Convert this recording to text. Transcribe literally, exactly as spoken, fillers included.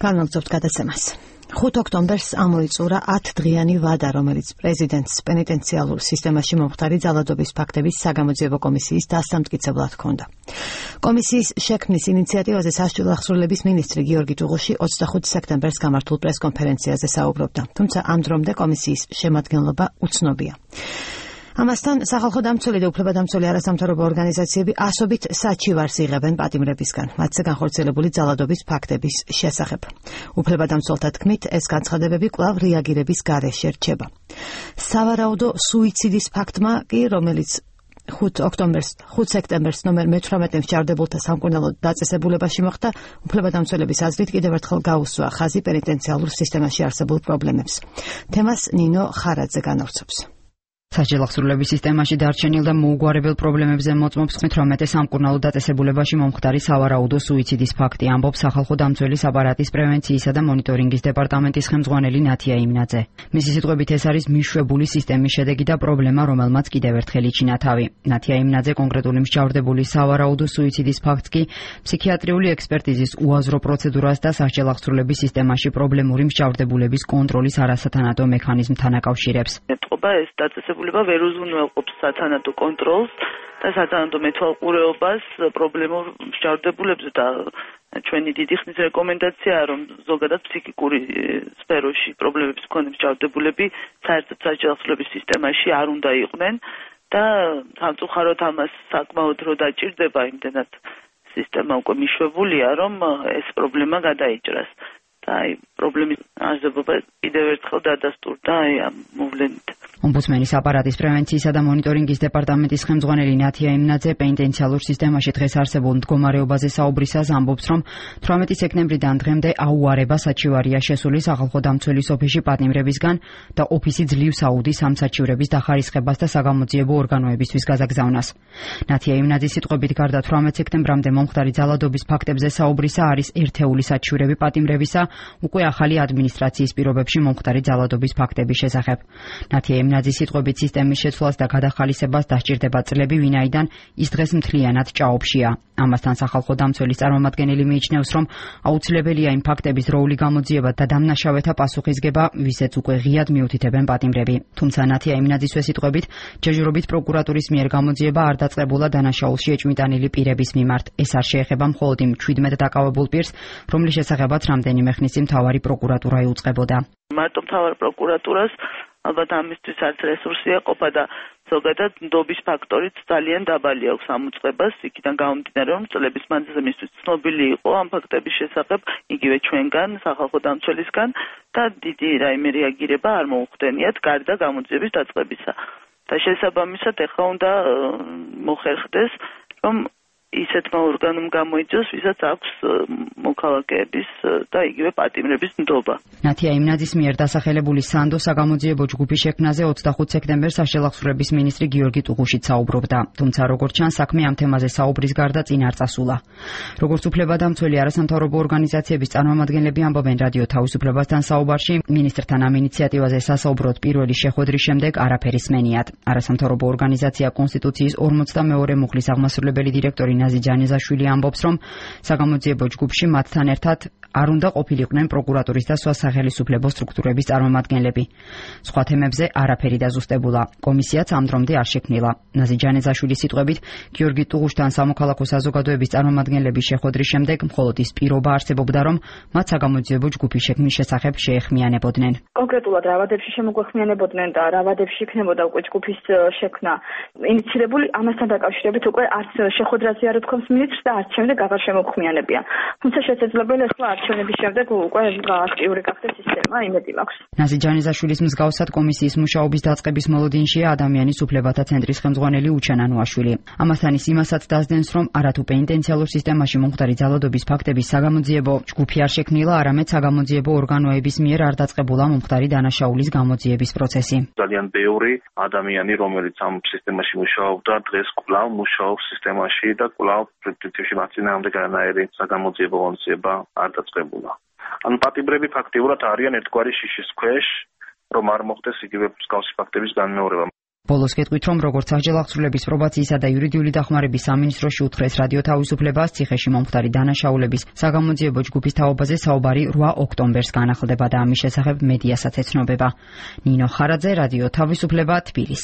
განვაგრძობთ გადაცემას. ხუთ ოქტომბერს ამოიწურა ათდღიანი ვადა, რომელიც პრეზიდენტს პენიტენციალურ სისტემაში მომხდარი ძალადობის ფაქტების საგამოძიებო კომისიის დასამტკიცებლად ჰქონდა. კომისიის შექმნის ინიციატივაზე სასჯელო აღსრულების მინისტრი გიორგი ტუღუში ოცდახუთ სექტემბერს გამართულ პრესკონფერენციაზე საუბრობდა, თუმცა ამ დრომდე კომისიის შემადგენლობა უცნობია. ამასთან სახალხო დამცველი და უფლებადამცველი არასამთავრობო ორგანიზაციები ასობით საჩივარს იღებენ პატიმრებისგან, მათზე განხორციელებული ძალადობის ფაქტების შესახებ. უფლებადამცველთა თქმით, ეს განცხადებები კვლავ რეაგირების გარეშე რჩება. სავარაუდო სუიციდის ფაქტმა კი, რომელიც ხუთ ოქტომბერს, ხუთ სექტემბერს ნომერ მეთვრამეტე მსჯავრდებულთა სამკურნალო დაწესებულებაში მოხდა, უფლებადამცველების აზრით კიდევ ერთხელ გაუსვა ხაზი პენიტენციალურ სისტემაში არსებულ პრობლემებს. თემას ნინო ხარაძე განავრცობს. სასჯელო აღსრულების სისტემაში დარჩენილ და მოუგვარებელ პრობლემებზე მოწმობს მეთვრამეტე სამკურნალო დაწესებულებაში მომხდარი სავარაუდო სუიციდის ფაქტი, ამბობს სახალხო დამცველის აპარატის პრევენციისა და მონიტორინგის დეპარტამენტის ხელმძღვანელი ნათია იმნაძე. მისი სიტყვებით, ეს არის მიშვებული სისტემის შედეგი და პრობლემა, რომელმაც კიდევ ერთხელ იჩინა თავი. ნათია იმნაძე კონკრეტული მსჯავრდებული სავარაუდო სუიციდის ფაქტს კი ფსიქიატრიული ექსპერტიზის უაზრო პროცედურას და სასჯელო აღსრულების სისტემაში პრობლემური მსჯავრდებულების კონტროლის არასათანადო მექანიზმთან აკავშირებს. ვერ უზრუნველყოფს სათანადო კონტროლს და სათანადო მეთვალყურეობას პრობლემურ მსჯავრდებულებზე და ჩვენი დიდი ხნის რეკომენდაციაა, რომ ზოგადად ფსიქიკური სფეროში პრობლემების მქონე მსჯავრდებულები საერთოდ სასჯელო აღსრულების სისტემაში არ უნდა იყვნენ და სამწუხაროდ ამას საკმაოდ დრო დაჭირდება, იმდენად სისტემა უკვე მიშვებულია, რომ ეს პრობლემა გადაიჭრას. და აი პრობლემის არსებობა კიდევ ერთხელ დადასტურდა აი ამ მოვლენით. ომბუდსმენის აპარატის პრევენციისა და მონიტორინგის დეპარტამენტის ხელმძღვანელი ნათია იმნაძე პენიტენციალურ სისტემაში დღეს არსებულ მდგომარეობაზე საუბრისას ამბობს, რომ თვრამეტი სექტემბრიდან დღემდე აუარება საჩივარია შესული სახალხო დამცველის ოფისში პატიმრებისგან და ოფისი ძლივს აუდის ამ საჩივრების დახარისხებას და საგამოძიებო ორგანოებისთვის გაზაგზავნას. ნათია იმნაძის სიტყვებით, გარდა თვრამეტ სექტემბრამდე მომხდარი ძალადობის ფაქტებზე საუბრისა არის ერთეული საჩივრები პატიმრებისა უკვე ახალი ადმინისტრაციის პირობებში მომხდარი ძალადობის ფაქტების შესახებ. ნათია იმნაძის სიტყვებით, სისტემის შეცვლას და გადახალისებას დასჭირდება წლები, ვინაიდან ის დღეს მთლიანად ჭაობშია. ამასთან სახალხო დამცველის წარმომადგენელი მიიჩნევს, რომ აუცილებელია იმ ფაქტების დროული გამოძიება და დამნაშავეთა პასუხისგება, ვისაც უკვე ღიად მიუთითებენ პატიმრები. თუმცა ნათია იმნაძისვე სიტყვებით, ჯერჯერობით პროკურატურის მიერ გამოძიება არ დაწყებულა დანაშაულში ეჭვმიტანილი პირების მიმართ. ეს არ შეეხება მხოლოდ იმ ჩვიდმეტ დაკავებულ პირს, რომლის შესახებაც რამდენიმე ხნის წინ მთავარი პროკურატურა იუწყებოდა. მარტო მთავარ პროკურატურას ალბათ ამისთვის არც რესურსი ეყოფა და ზოგადად ნდობის ფაქტორიც ძალიან დაბალი აქვს ამ უწყებას, იქიდან გამომდინარე, რომ წლების მანძილზე მისთვის ცნობილი იყო ამ ფაქტების შესახებ იგივე ჩვენგან, სახალხო დამცველისგან და დიდი რაიმე რეაგირება არ მოუხდენიათ გარდა გამოძიების დაწყებისა. და შესაბამისად ეხლა უნდა მოხერხდეს, რომ ისეთმა ორგანომ გამოიწვიოს, ვისაც აქვს მოქალაქეების და იგივე პატიმრების ნდობა. ნათია იმნაძის მიერ დასახელებული სანდო საგამოძიებო ჯგუფის შექმნაზე ოცდახუთ სექტემბერს სასჯელო აღსრულების მინისტრი გიორგი ტუღუშიც საუბრობდა. თუმცა როგორც ჩანს, საქმე ამ თემაზე საუბრის გარდა წინ არ წასულა. როგორც უფლებადამცველი არასამთავრობო ორგანიზაციების წარმომადგენლები ამბობენ რადიო თავისუფლებასთან საუბარში, მინისტრთან ამ ინიციატივაზე სასაუბროდ პირველი შეხვედრის შემდეგ არაფერი სმენიათ. არასამთავრობო ორგანიზაცია კონსტიტუციის ორმოცდამეორე მუხლის აღმასრულებელი დირექტორი ნაზი ჯანიზაშვილი ამბობს, რომ საგამოძიებო ჯგუფში მათთან ერთად არ უნდა ყოფილიყვნენ პროკურატურის და სხვა სახელისუფლებო სტრუქტურების წარმომადგენლები. სხვა თემებზე არაფერი დაზუსტებულა. კომისიაც ამ დრომდე არ შექმნილა. ნაზი ჯანიზაშვილის სიტყვებით, გიორგი ტუღუშთან სამოქალაქო საზოგადოების წარმომადგენლების შეხვედრის შემდეგ მხოლოდ ის პირობა არსებობდა, რომ მათ საგამოძიებო ჯგუფის შექმნის შესახებ შეეხმიანებოდნენ. კონკრეტულად რა ვადებში შემოგვეხმიანებოდნენ და რა ვადებში იქნებოდა უკვე ჯგუფის შექმნა ინიციირებული, ამასთან დაკავშირებით უკვე არც შეხვედრაზე არ უთქვამს მინისტრს და არც შემდეგ აღარ შემოგვხმიანებიან. თუმცა შესაძლებელია ახლა არჩევნების შემდეგ უკვე აქტიური გახდეს სისტემა, იმედი მაქვს. ნაზი ჯანიზაშვილის მსგავსად კომისიის მუშაობის დაწყების მოლოდინშია ადამიანის უფლებათა ცენტრის ხელმძღვანელი უჩან ანუაშვილი. ამასთან ის იმასაც დასდენს, რომ არათუ პენიტენციალურ სისტემაში მომხდარი ძალადობის ფაქტების საგამოძიებო ჯგუფი არ შექმნილა, არამედ საგამოძიებო ორგანოების მიერ არ დაწყებულა მომხდარი დანაშაულის გამოძიების პროცესი. ძალიან ბევრი ადამიანი, რომელიც ამ სისტემაში მუშაობდა, დღეს კვლავ მუშაობს სისტემაში და კვლავ პრინციპში მათ წინააღმდეგ განაერი საგამოძიებო ღონისძიება არ დაწყებულა. ან პატიმრები ფაქტიურად არიან ერთგვარი შიშის ქვეშ, რომ არ მოხდეს იგივე მსგავსი ფაქტების განმეორება. ბოლოს გეტყვით, რომ როგორც აღჯერაღწრულების პრობაციისა და იურიდიული დახმარების სამინისტროში უთხრეს რადიო თავისუფლებას, ციხეში მომხდარი დანაშაულების საგამოძიებო ჯგუფის თაობაზე საუბარი რვა ოქტომბერს განახლდება და ამის შესახებ მედიასაც ეცნობება. ნინო ხარაძე, რადიო თავისუფლება, თბილისი.